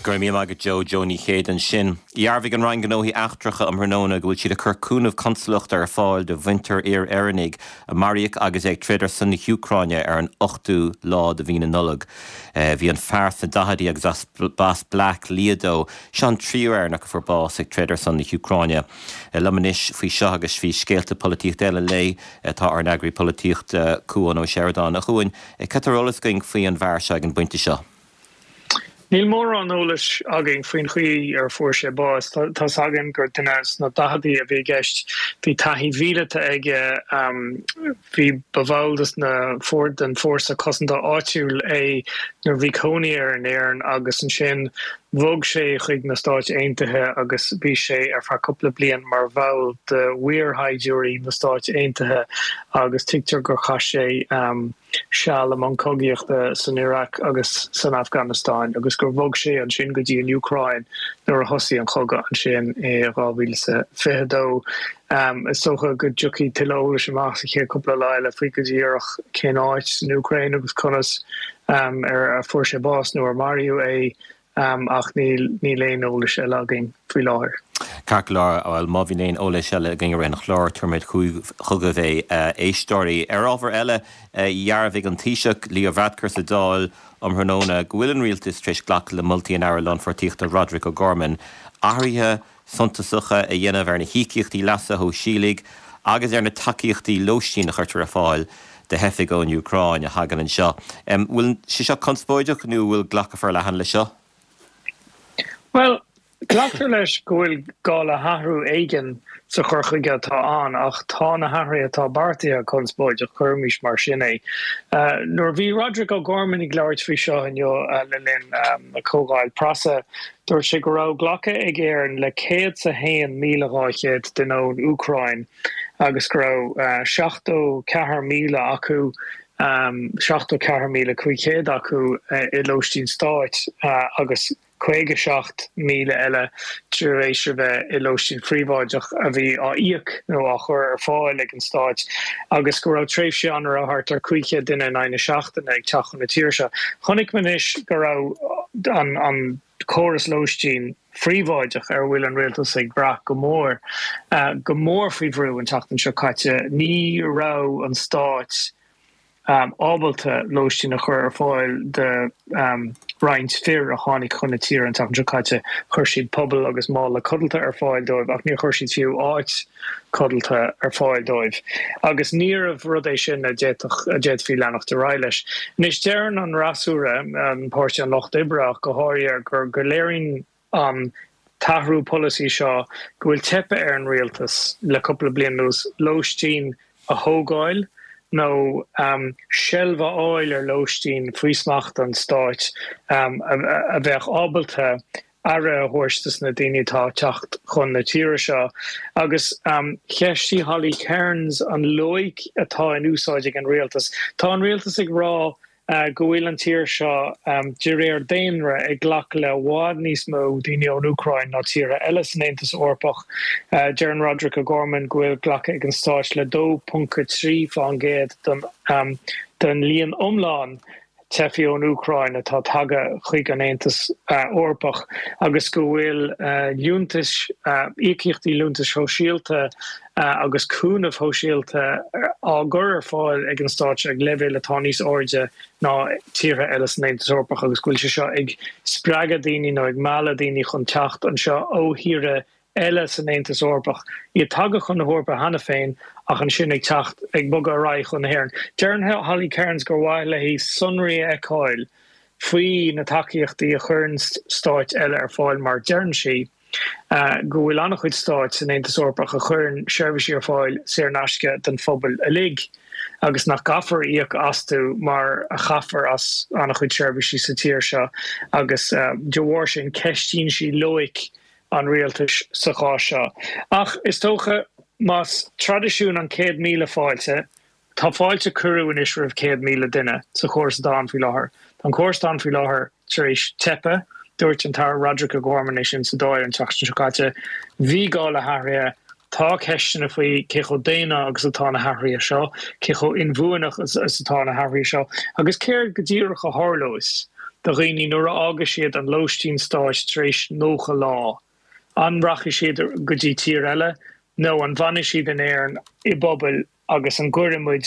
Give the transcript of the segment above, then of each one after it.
Go raibh míle maith agat Joe, Joe Ní Chéide ansin. Dhearbhaigh an Roinn Gnóthaí Eachtracha um thráthnóna go bhfuil siad ag cur cúnamh consalachta ar fáil do mhuintir fhir Éireannaigh a maraíodh agus é ag troid ar son na hÚcráine ar an 8ú lá de mhí na Nollag. Bhí an fear sna daichidí agus as b'as Bleá Cliath dó. Seo an tríú Éireannach a fuair bás ag troid ar son na hÚcráine. Liom anois faoi seo agus faoi scéalta polaitíochta eile an lae tá ár n-eagraí polaitíochta Cuan Ó Seireadáin. A Chuain, cad tá ar eolas againn faoi an bhfear seo ag an bpointe seo? Níl mórán eolais againn faoin chaoi ar fuair sé bás. Tá's againn gur duine sna daicheadaí a bhí i gceist. Bhí taithí mhíleata aige, bhí, ba bhall des na, den fórsa cosanta áitiúil é nuair a bhí cónaí air in Éirinn agus ansin bhog sé chuig na Stáit Aontaithe agus bhí sé ar feadh cúpla bliain mar bhall de mhuirshaighdiúirí na Stáit Aontaithe agus tuigtear gur chaith sé seal i mbun cogaíochta san Iaráic agus san Afganastáin agus gur bhog sé ansin go dtí an Úcráin nuair a thosaigh an cogadh ansin i 2022. Is dócha go dtiocfaidh tuilleadh eolais amach sa chéad cúpla lá eile faoi go díreach cén áit san Úcráin agus conas ar a fuair sé bás nó ar maraíodh é. Ach níl, níl aon eolais eile againn faoi láthair. Ceart go leor, bhuel má bhíonn aon eolais eile againn i rith an chláir, tabharfaimid chugaibh é, a éisteoirí. Ar ábhar eile, dhearbhaigh an Taoiseach, Leo Varadkar sa Dáil um thráthnóna go bhfuil an Rialtas tar éis glacadh le moltaí an Aire Lánpháirtíochta Roderic O'Gorman athruithe suntasacha a dhéanamh ar na híocaíochtaí leasa shóisialaigh agus ar na tacaíochtaí lóistín a chuirtear ar fáil do theifigh ón Úcráin a thagann anseo. Bhfuil sé seo conspóideach nó bhfuil glacadh forleathan leis seo? Bhuel, glactar leis go bhfuil gá le hathrú éigin sa chur chuige atá ann ach tá na hathruithe atá beartaithe conspóideach, cuirimis mar sin é. Nuair a bhí Roderic O'Gorman ag labhairt faoi seo inniu le linn comhdháil preasa, Dúirt sé go raibh glactha ag Éirinn le 101,200 duine ón Úcráin agus go raibh 74,000 acu, 74,500 acu i lóistín stáit agus 57,000 eile tar éis a bheith i lóistín phríobháideach a bhí á íoc nó á chur ar fáil ag an stáit agus go raibh tréimhsí ann a raibh thart ar 500 duine in aghaidh na seachtaine ag teacht chun na tíre seo. Chonaic muid anois go raibh an córas lóistín phríobháideach ar a bhfuil an rialtas ag brath go mór, go mór faoi bhrú an tseachtain seo caite. Ní raibh an stát ábalta lóistín a chur ar fáil do roinnt fir a tháinig chun na tíre an tseachtain seo caite. Chuir siad puball agus mála codlata ar fáil dóibh ach níor chuir siad fiú áit codlata ar fáil dóibh agus níorbh rud é sin a d'fhéadfadh, a d'fhéadfaí leanacht ar aghaidh leis. Anois deireann an fhreasúra, an Páirtí an Lucht Oibre ach go háirithe, gur, go léiríonn an t-athrú polasaí seo go bhfuil teipthe ar an rialtas le cúpla bliain anuas lóistín a thógáil nó seilbh a fháil ar lóistín faoi smacht an stáit a bheadh ábalta aire a thabhairt dos na daoine atá ag teacht chun na tíre seo. Agus cheistigh Holly Cairns an loighic atá in úsáid ag an rialtas. Tá an rialtas ag rá go bhfuil an tír seo, de réir daonra, ag glacadh le i bhfad níos mó daoine ón Úcráin ná tíortha eile san Aontas Eorpach. Deireann Roderic O'Gorman go bhfuil glactha ag an stáit le 2.3% den líon iomlán teifigh ón Úcráin atá tagtha chuig an Aontas Eorpach agus go bhfuil liúntais, íocaíochtaí liúntais shóisialta agus cúnamh shóisialta á gcur ar fáil ag an stát seo ag leibhéal atá níos airde ná tíortha eile san Aontas Eorpach agus go bhfuil sé seo ag spreagadh daoine nó ag mealladh daoine chun teacht anseo ó thíortha eile san Aontas Eorpach, iad tagtha chun na hEorpa cheana féin ach ansin ag teacht, ag bogadh ar aghaidh chun na hÉireann. Deireann Holly Cairns gur mhaith léi sonraí a fheiceáil faoi na tacaíochtaí a chuireann stáit eile ar fáil mar deireann sí go bhfuil an-chuid stáit san Aontas Eorpach a chuireann seirbhísí ar fáil saor in aisce don phobal uilig agus nach gcaithfear íoc astu mar a chaithfear as an-chuid seirbhísí sa tír seo agus de bharr sin ceistíonn sí loighic an rialtais sa chás seo. Ach is dócha, más traidisiún an 100,000 fáilte, tá fáilte cuireadh anois roimh 100,000 duine sa chóras atá ann faoi láthair. Tá an córas atá ann faoi láthair tar éis teipeadh. Dúirt an tAire Roderic O'Gorman é sin sa Dáil an tseachtain seo caite. Bhí gá le hathruithe. Tá ceisteanna faoi cé chomh daonna agus atá na hathruithe seo, cé chomh inbhuanach is atá na hathruithe seo, agus céard go díreach a tharlós. do dhaoine nuair a fhágfaidh siad an lóistín stáit tar éis 90 lá. An rachaidh siad go dtí tír eile nó an bhfanfaidh siad in Éirinn i bpubaill agus an gcuirfidh muid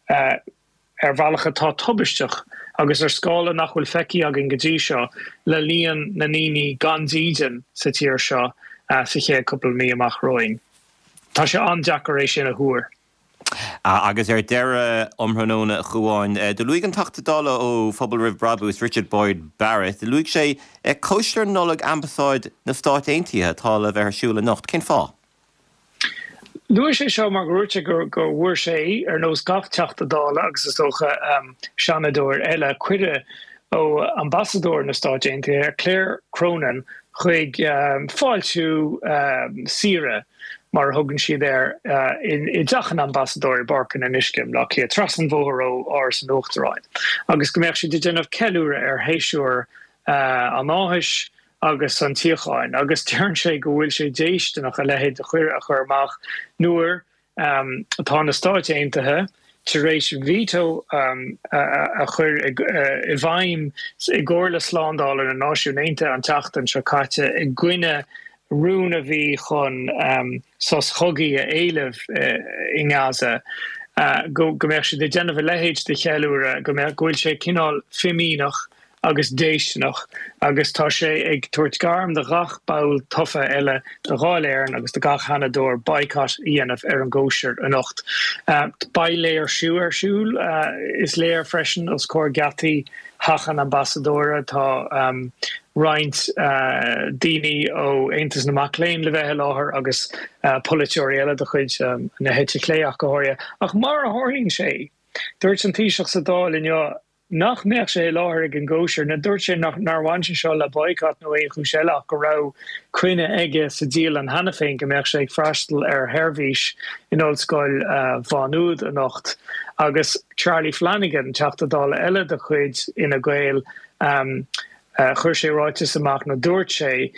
ar bhealach atá tubaisteach agus ar scála nach bhfuil feicthe againn go dtí seo, le líon na ndaoine gan dídean sa tír seo sa chéad cúpla mí amach romhainn. Tá sé an-deacair é sin a thuar. Agus ar deireadh, um thráthnóna, a Chuáin, do luaigh an Teachta Dála ó Phobal Roimh Brabús, Richard Boyd Barrett, do luaigh sé cóisir Nollag Ambasáid na Stát Aontaithe atá le bheith ar siúl anocht. Cén fáth? Luaigh sé seo mar gur dhúirt sé go bhfuair sé, ar nós gach Teachta Dála agus is dócha Seanadóir eile, cuireadh ó Ambasadóir na Stáit Aontaithe, Claire Cronin, chuig fáiltiú saoire, mar a thugann siad air, i dteach an Ambasadóir i bPáirc an Fhionnuisce i mBleá Cliath, trasna an bhóthair ó Áras an Uachtaráin, agus go mbeadh siad ag déanamh ceiliúradh ar shéasúr an áthais agus an tsíocháin. Agus deireann sé go bhfuil sé déistineach a leithéid de chuireadh a chur amach nuair atá na Stáit Aontaithe tar éis veto a chur i bhfeidhm i gComhairle Slándála na Náisiún Aontaithe an tseachtain seo caite i gcoinne rún a bhí chun sos cogaidh a éileamh i nGaza, go mbeadh siad ag déanamh a leithéid de cheiliúradh, go mbeadh, go bhfuil sé cineál fimíneach agus déistineach agus tá sé ag tabhairt gairm do ghach ball tofa eile de Dháil Éireann agus do gach Seanadóir boycott a dhéanamh ar an gcóisir anocht. Beidh léirsiú ar siúl, is léir freisin, os comhair geataí theach an ambasadóra. Tá roinnt daoine ó Aontas na Mac Léinn le bheith i láthair agus polaiteoirí eile de chuid na heite clé ach go háirithe. Ach mar a tharlaíonn sé, dúirt an Taoiseach sa Dáil inniu nach mbeadh sé i láthair ag an gcóisir. Nó dúirt sé nár bhain sé seo le boycott nó aon chúis eile ach go raibh coinne aige sa dialann cheana féin go mbeadh sé ag freastal ar sheirbhís in Ollscoil Mhá Nuad anocht. Agus Charlie Flanagan, Teachta Dála eile de chuid Fhine Gael, chuir sé ráiteas amach nó dúirt sé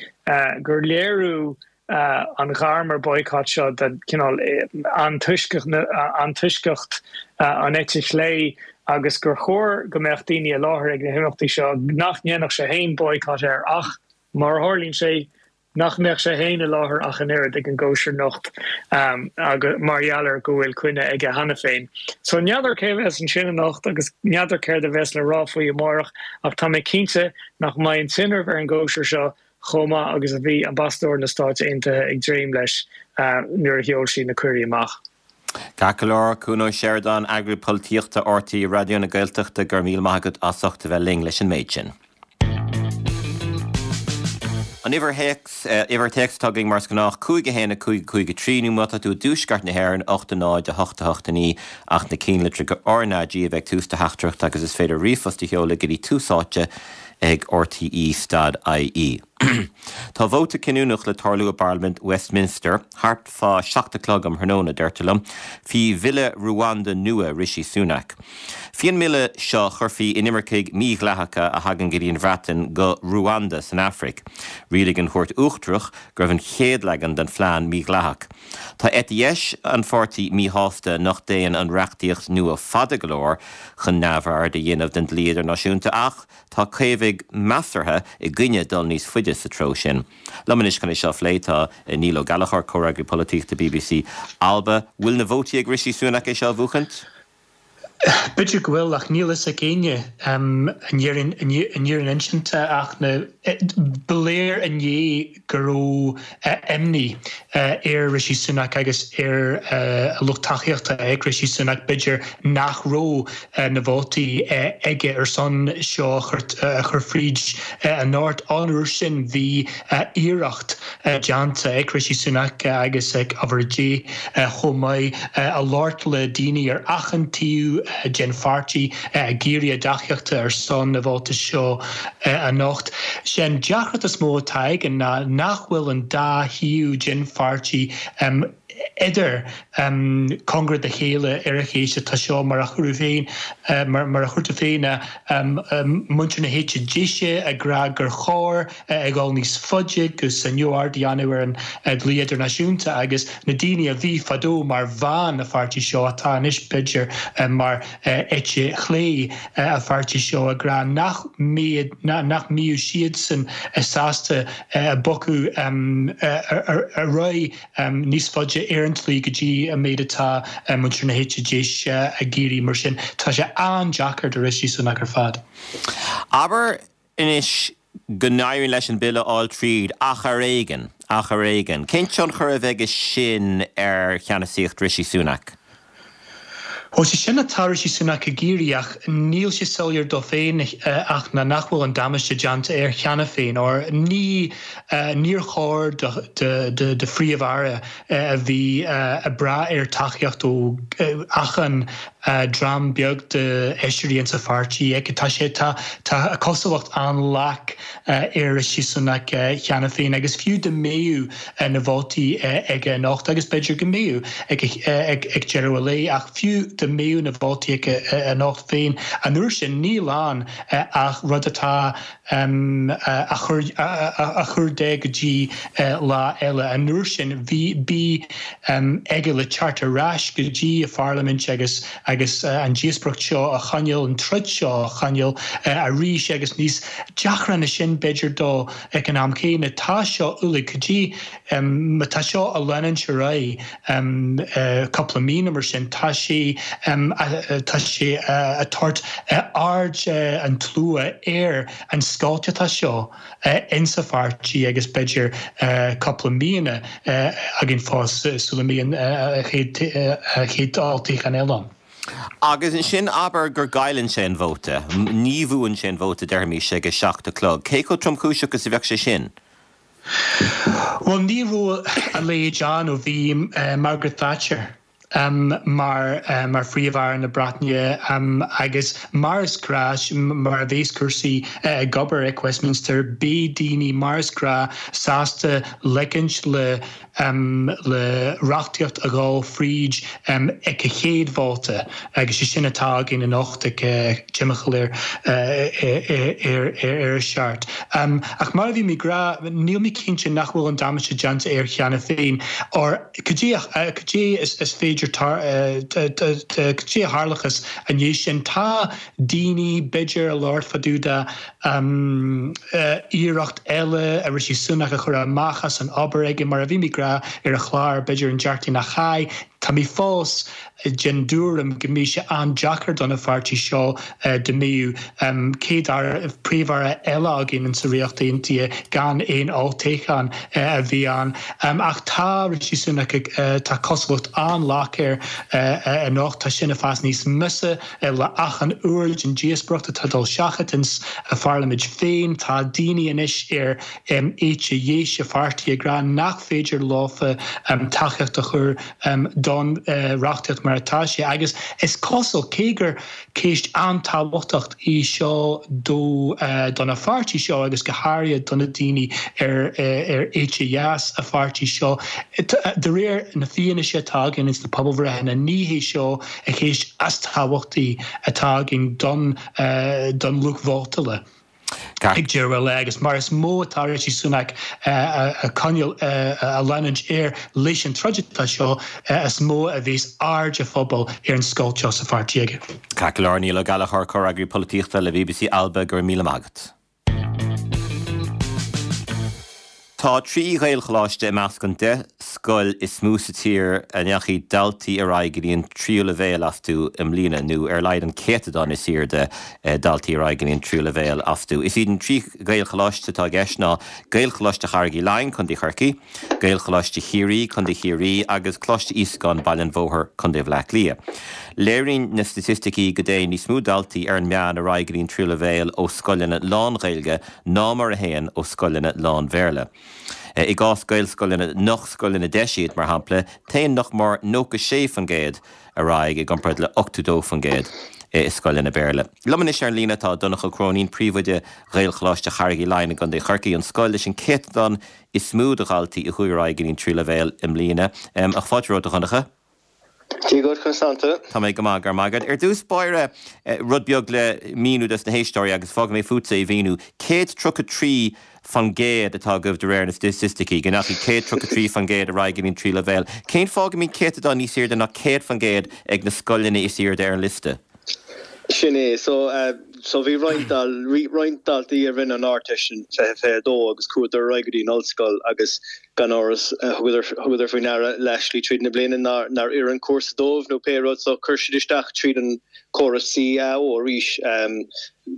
gur léiriú an ghairm ar boycott seo de chineál antoisceacht an eite chlé agus gur chóir go mbeadh daoine i láthair ag na himeachtaí seo, nach ndéanfadh sé féin boycott air ach, mar a tharlaíonn sé, nach mbeadh sé féin i láthair ach an oiread ag an gcóisir anocht mar gheall ar go bhfuil coinne aige cheana féin. So n'fheadar cé a bheas ansin anocht agus n'fheadar céard a bheas le rá faoi amárach ach tá mé cinnte nach mbeidh an tinreamh ar an gcóisir seo chomh maith agus a bhí Ambasadóir na Stáit Aontaithe ag dréim leis nuair a sheol sí na cuirí amach. Ceart go leor, Cuan Ó Seireadáin, Eagraí Polaitíochta RTÉ Raidió na Gaeltachta, go raibh míle maith agat as ucht a bheith linn leis an méid sin. An uimhir théacs, uimhir téacs atá againn mar is gnách, 5 1 5 5 3, nó má tá tú i dtuaisceart na hÉireann, 8 0 8 8 9, ach na cinnlitreacha RnaG a bheith ag tús do theachtaireachta agus is féidir ríomhphost a sheoladh go dtí Tús Áite ag RTÉ stad IE. Tá vóta cinniúnach le tarlú i bParlaimint Westminster thart fá 7 a chlog um thráthnóna, deirtear liom, faoi bhille Ruanda nua Rishi Sunak. Faoi an mbille seo chuirfí inimircigh mhídhleathacha a thagann go dtí an Bhreatain go Ruanda san Afraic. Rialaigh an Chúirt Uachtarach go raibh an chéad leagan den phlean mídhleathach. Tá eite dheis an pháirtí míshásta nach dtéann an reachtaíocht nua fada go leor chun neamhaird a dhéanamh den dlí idirnáisiúnta ach tá Caomhaigh measartha i gcoinne dul níos faide sa treo sin. Liom anois chun é seo a phlé tá Niall Ó Gallchóir, Comhfhreagraí Polaitíochta bbc Alba. Bhfuil na vótaí ag Rishi Sunak é seo a bhuachaint? B'fhéidir go bhfuil ach níl fhios ag éinne an fhírinne insinte ach ba léir inné go raibh imní ar Rishi Sunak agus ar a lucht tacaíochta ag Rishi Sunak, b'fhéidir nach raibh na vótaí aige ar son seo a chur fríd anocht. An uair sin bhí iarracht déanta ag Rishi Sunak agus ag Ábhar Dé chomh maith a labhairt le daoine ar achan taobh den pháirtí ag iarraidh a dtacaíochta ar son na vóta seo anocht. Sé an deacracht is mó atá againn ná nach bhfuil an dá thaobh den pháirtí. Idir cóngarach dá chéile ar an cheist atá seo, mar a chuireadh féin, mar a chuir tú féin, muintir na heite deise ag rá gur chóir a dhul níos faide agus neamhaird a dhéanamh ar an dlí idirnáisiúnta agus na daoine a bhí fadó mar mheán an pháirtí seo atá anois b'fhéidir mar eite chlé an pháirtí seo ag rá nach mbeadh nach mbeadh siadsan sásta bogadh ar aghaidh níos faide ar an tslí go dtí an méid atá muintir na heite deise ag iarraidh. Mar sin, tá sé an-deacair do Rishi Sunak ar fad. Abair anois go n-éiríonn leis an bille a fháil tríd, ach ar éigean, ach ar éigean. Cén tionchar a bheidh aige sin ar cheannasaíocht Rishi Sunak? Bhuel, sé sin atá Rishi Sunak ag iarraidh ach níl sé soiléir dó féin ach ná nach bhfuil an damáiste déanta air cheana féin. Óir ní, níor chóir do, do, do Phríomh-Aire a bhí ag brath ar tacaíocht ó achan dream beag de fheisirí insa pháirtí aige. Tá sé, tá, tá cosúlacht an-lach ar Rishi Sunak cheana féin agus fiú dá mbeadh na vótaí aige anocht, agus b'fhéidir go mbeadh ag deireadh an lae, ach fiú dá mbeadh na vótaí aige anocht féin, an uair sin níl ann ach rud atá á chur de go dtí lá eile. An uair sin bhí, bhí aige le teacht ar ais go dtí an pharlaimint agus agus an díospóireacht seo a choinneáil, an troid seo a choinneáil arís agus níos deacra ná sin b'fhéidir dó ag an am céanna. Tá seo uilig, go dtí má tá seo a leanúint ar aghaidh cúpla mí nó mar sin, tá sé, tá sé a tabhairt aird an tslua ar an scoilt atá seo insa pháirtí agus b'fhéidir cúpla míonna againn fós sula mbíonn an chéad olltoghchán eile ann. Agus ansin abair go gcailleann sé an vóta, ní bhuann sé an vóta déarfaimis ag a 7 a chlog, cé chomh tromchúiseach is a bheadh sé sin? Bhuel ní raibh a leithéid ann ó bhí Margaret Thatcher mar mar Phríomh-Aire na Breataine agus mar is gnách, mar a bhéas cúrsaí ag obair ag Westminster, beidh daoine mar is gnách sásta ligint le le reachtaíocht a dhul fríd ag a chéad vóta agus sé sin atá againn anocht ag timcheall ar ar a seacht. Ach mar a bhí mé ag rá, níl mé cinnte nach bhfuil an damáiste déanta air cheana féin or cad é cad é is féidir cad é a tharlóchas i ndiaidh sin. Tá daoine b'fhéidir ag labhairt fá dtaobh de iarracht eile ar Rishi Sunak a chur amach as an obair aige, mar a bhí mé ag rá ar an chlár b'fhéidir an Déardaoin seo chaite, tá mé fós den dtuairim go mbeidh sé an-deacair don pháirtí seo dá mbeadh céad aire, príomh-aire eile againn insa Ríocht Aontaithe gan aon olltoghchán a bhí ann. Ach tá Rishi Sunak ag, tá cosúlacht an-lach air anocht, tá sin ag fás níos measa. Le achan uair den díospóireacht atá ag dul seachat ins a pharlaimint féin, tá daoine anois ar éite dheis a pháirtí ag rá nach féidir leofa tacaíocht a chur don reachtaíocht mar atá sé. Agus is cosúil, cé gur ceist an-tábhachtach í seo do don pháirtí seo agus go háirithe do na daoine ar éite dheas a pháirtí seo, de réir na fianaise atá againn ins na pobalbhreitheanna, ní hé seo an cheist is tábhachtaí atá againn don don lucht vótála ag deireadh an lae agus mar is mó atá Rishi Sunak a coinneáil a leanúint air leis an troid atá seo is mó a bheas aird an phobail ar an scoilt seo sa pháirtí aige. Ceart go leor, Niall Ó Gallchóir, Comhfhreagraí Polaitíochta le bbc Alba, go raibh míle maith agat. Tá 3 Ghaelcholáiste i measc an 10 scoil is mó sa tír a ndeachaigh daltaí ar aghaidh go dtí an tríú leibhéal astu i mbliana, nó ar a laghad an céatadán is airde daltaí ar aghaidh go dtí an tríú leibhéal astu. Is iad an 3 Ghaelcholáiste atá i gceist ná Gaelcholáiste Charraig Uí Leighin, Co. Chorcaí, Gaelcholáiste Chiarraí, Co. Chiarraí, agus Coláiste Íosagáin, Baile an Bhóthair, Co. Bhaile Átha Cliath. Léiríonn na staitisticí go dtéann níos mó daltaí ar an meán ar aghaidh go dtí an tríú leibhéal ó scoileanna lán-Ghaeilge ná mar a théann ó scoileanna lán-Bhéarla. I gcás Gaelscoileanna nach scoileanna deis iad, mar shampla, téann nach mór 96% ar aghaidh i gcomparáid le 82%. i scoileanna Béarla. Liom anois ar an líne tá Donncha Ó Cróinín, Príomhoide Ghaelcholáiste Charraig Uí Leighin i gContae Chorcaí, an scoil leis an céatadán is mó de dhaltaí a chuaigh ar aghaidh go dtí an tríú leibhéal i mbliana. Ach fáilte romhat, a Dhonncha. Dia dhuit, conas tánn tú? Tá mé go maith, go raibh maith agat. Ar dtús báire, rud beag le míniú dos na héisteoirí agus fágfaidh mé fútsa é a mhíniú. 133% atá agaibh de réir na staitisticí, go ndeachaigh 133% ar aghaidh go dtí an tríú leibhéal. Cén fáth go mbíonn céatadán níos airde ná 100% ag na scoileanna is airde ar an liosta? Sin é. So, so bhí roinnt dal, roinnt daltaí a rinne an Ardteist in 2022 agus chuadar ar aghaidh go dtí an ollscoil agus gan amhras thugadar, thugadar faoi ndeara leathshlí tríd na bliana nár, nár oir an cúrsa dóibh nó pé rud so chuir siad isteach tríd an córas CAO arís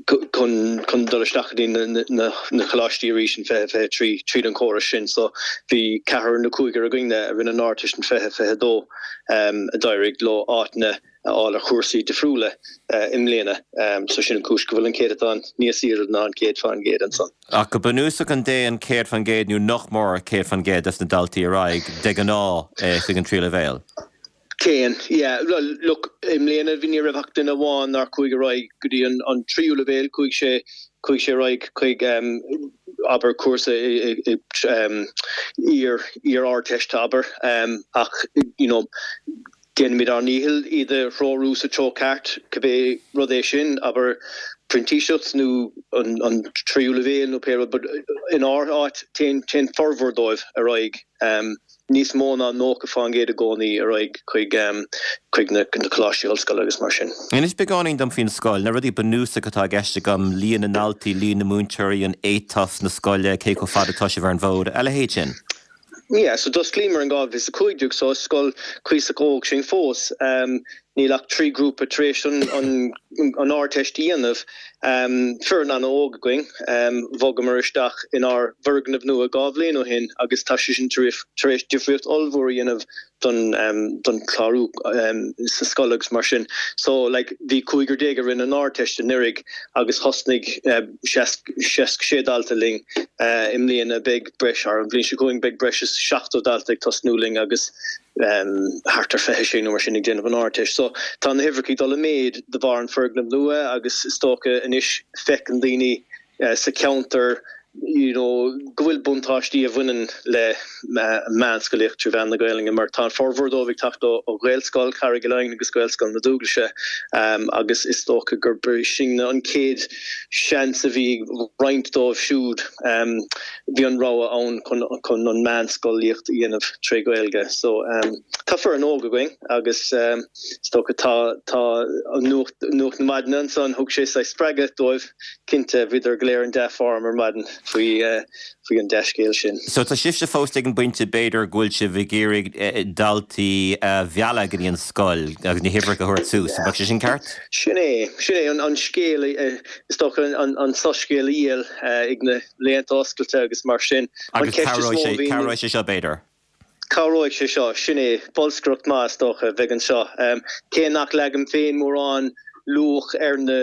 chun, chun dul isteach go dtí na, na, na coláistí arís in 2023 tríd an chóras sin. So bhí ceathrar nó cúigear againne a rinne an Ardteist in 2022 a d'éirigh leo áiteanna a fháil ar chúrsaí difriúla i mbliana. So sin an cúis go bhfuil an céatadán níos airde ná an 100% ansan. Ach go bunúsach an dtéann 100% nó nach mór 100% des na daltaí ar aghaidh de ghnáth chuig an tríú leibhéal? Téann, yeah. Bhuel, look, i mbliana bhí, ní raibh ach duine amháin nár chuaigh ar aghaidh go dtí an tríú leibhéal, chuaigh sé, chuaigh sé ar aghaidh chuig abair cúrsa i iar, iar-Ardteist abair ach you know, Déanaimid ár ndícheall iad a threorú sa treo ceart, cibé rud é sin, abair printíseacht nó an tríú leibhéal nó pé rud, but inár áit téann téann formhór dóibh ar aghaidh, níos mó ná 90% i gcónaí ar aghaidh chuig chuig na coláistí ollscoile agus mar sin. Inis beagáinín dom faoin scoil, na rudaí bunúsacha atá i gceist agam, líon na ndaltaí, líon na múinteoirí, an éiteas na scoile, cé chomh fada atá sibh ar an bhfód, a leithéid sin. Yeah, so d'osclaíomar in 2015 so is scoil cuíosach óg sinn fós. Níl ach 3 grúpa tar éis an an Ardteist a dhéanamh. Foireann an-óg againn. Bhogamar isteach inár bhfoirgneamh nua dhá bhliain ó shin agus tá sé sin tar éis difríocht ollmhór a dhéanamh don don chlárú sa scoil agus mar sin. So like bhí cúigear déag a rinne an Ardteist anuraidh agus thosnaigh 66 dalta linn i mbliana. Beidh breis, ar an bhliain seo chugainn beidh breis is 70 dalta ag tosnú linn agus thart ar 26 nó mar sin ag déanamh an Ardteist. So tá na huimhreacha ag dul i méid de bharr an foirgneamh nua agus is dócha anois feiceann daoine sa cheantar you know go bhfuil buntáistí a bhaineann le meánscolaíocht trí mheán na Gaelainne mar tá an formhór dóibh ag teacht ó Ghaelscoil Charraig Uí Leighin agus Gaelscoil na Dúglaise agus is dócha gurb sin an chéad seans a bhí ag roinnt dóibh siúd bhí an rogha ann chun chun an meánscolaíocht a dhéanamh tré Ghaeilge so tá foireann óg againn agus is dócha tá tá an nuacht nuacht na maidine ansan thug sé saghas spreagadh dóibh Cinnte, bhíodar go léir in dea-form ar maidin faoi faoi an dea-scéal sin. So tá sibhse fós ag an bpointe b'fhéidir go bhfuil sibh ag iarraidh daltaí a mhealladh go dtí an scoil agus na huimhreacha a thabhairt suas, an bheadh sé sin ceart? Sin é, sin é an scéal, is dócha an soiscéal a dhíol ag na laethanta oscailte agus mar sin. Agus cabhróidh sé, cabhróidh sé seo b'fhéidir? Cabhróidh sé seo, sin é. Bolscaireacht maith, is dócha, a bheidh anseo. Cé nach leagaim féin mórán luach ar na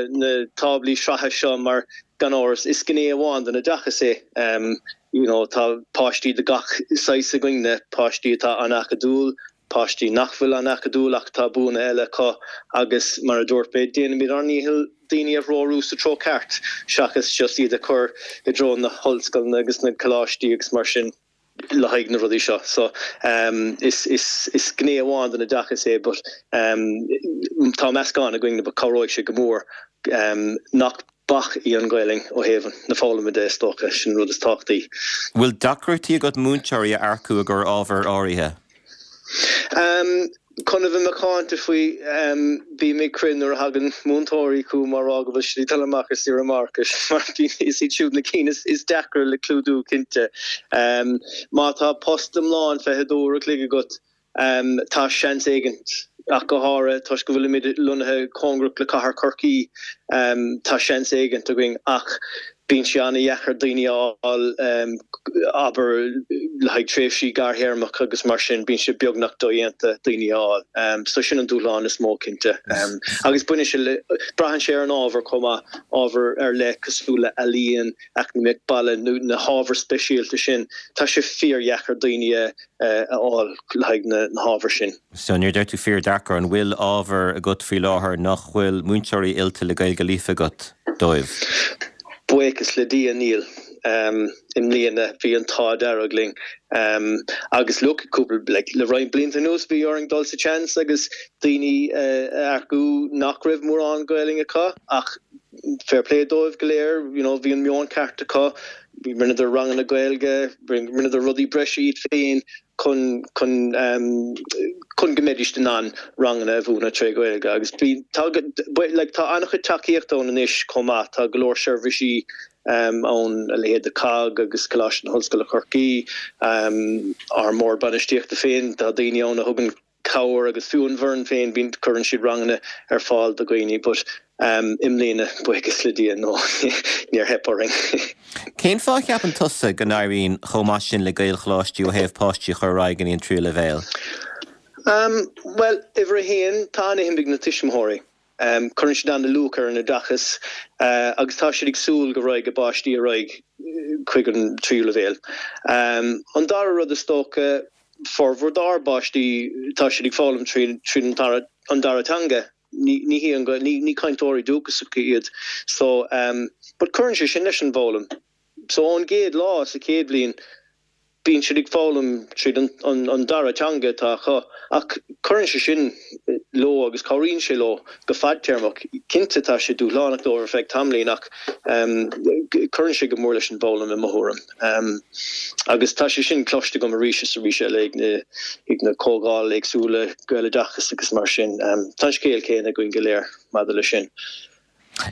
táblaí sraithe seo mar, gan amhras, is gné amháin den oideachas é. You know, tá páistí de gach saghas againne, páistí atá an-acadúil, páistí nach bhfuil an-acadúil ach tá buanna eile acu agus, mar a dúirt mé, déanaimid ár ndícheall daoine a threorú sa treo ceart seachas just iad a chur i dtreo na hollscoileanna agus na coláistí agus mar sin. le haghaidh na rudaí seo. So is is is gné amháin den oideachas é but tá meascán againn but cabhróidh sé go mór nach bac í an Ghaelainn ó thaobh na foghlama de is dócha, sin an rud is tábhachtaí. Bhfuil deacrachtaí agat múinteoirí a earcú i gcomhair ábhair áirithe? Chun a bheith macánta faoi, bím ag crith nuair a thagann múinteoirí chugam á rá go bhfuil siad ag dul amach ar saoire máithreachais, mar is iad siúd na cinn is deacra le clúdú, cinnte. Má tá post iomlán 22 uair a chloig agat, tá seans éigint, ach go háirithe toisc go bhfuilimid lonnaithe cóngarach le cathair Chorcaí, tá seans éigint againn. Ach. Bíonn sé an-dheacair daoine a fháil, abair, le haghaidh tréimhsí gearrthéarmacha agus mar sin, bíonn sé beagnach dodhéanta daoine a fháil. So sin an dúshlán is mó, cinnte. Agus baineann sé le, braitheann sé ar an ábhar chomh maith, ábhar ar leith cosúil le ealaíon, eacnamaíocht baile nó na hábhair speisialta sin, tá sé fíordheacair daoine a fháil le haghaidh na hábhair sin. So nuair a deir tú fíordheacair, an bhfuil ábhar agat faoi láthair nach bhfuil múinteoirí oilte le Gaeilge líofa agat dóibh? Buíochas le Dia níl. I mbliana bhí an t-ádh dearg linn. Agus look, cúpla, like, le roinnt blianta anuas bhí orainn dul sa tseans agus daoine a earcú nach raibh mórán Gaelainn acu ach fair play dóibh go léir, you know, bhí an meon ceart acu, rinneadar ranganna Gaeilge, rinneadar rudaí breise iad féin chun chun chun go mbeidís in ann ranganna a mhúineadh tré Ghaeilge agus bhí tá like tá an-chuid tacaíochta ann anois chomh maith, tá go leor seirbhísí ann a leithéid de COGG agus Coláiste na hOllscoile Chorcaí, ár mbord bainistíochta féin, tá daoine ann a thugann cabhair agus fiú an bhfoireann féin bíonn cuireann siad ranganna ar fáil do dhaoine but i mbliana buíochas le Dia no níor theip orainn. Cén fáth a cheapann tusa go n-éiríonn chomh maith sin le Gaelcholáistí ó thaobh páistí a chur ar aghaidh go dtí an tríú leibhéal? Bhuel, uimhir a haon, tá an-shuim ag na tuismitheoirí. Cuireann siad an-luach ar an oideachas agus tá siad ag súil go raghaidh a bpáistí ar aghaidh chuig an tríú leibhéal. An dara rud is dócha, formhór dár bpáistí, tá siad ag foghlaim tríd an dara teanga, ní hí an, ní cainteoirí dúchasacha iad so but cuireann sé sin leis an bhfoghlaim. So ón gcéad lá sa chéad bhliain, Bíonn siad ag foghlaim tríd an dara teanga atá acu ach cuireann sé sin leo agus cabhraíonn sé leo go fadtéarmach. Cinnte tá sé dúshlánach dóibh ar feadh tamaillín ach cuireann sé go mór leis an bhfoghlaim i mo thuairim. Agus tá sé sin cloiste agam arís is arís eile ag na ag na comhdháil éagsúla Gaeloideachas agus mar sin. Tá an scéal céanna againn go léir maidir leis sin.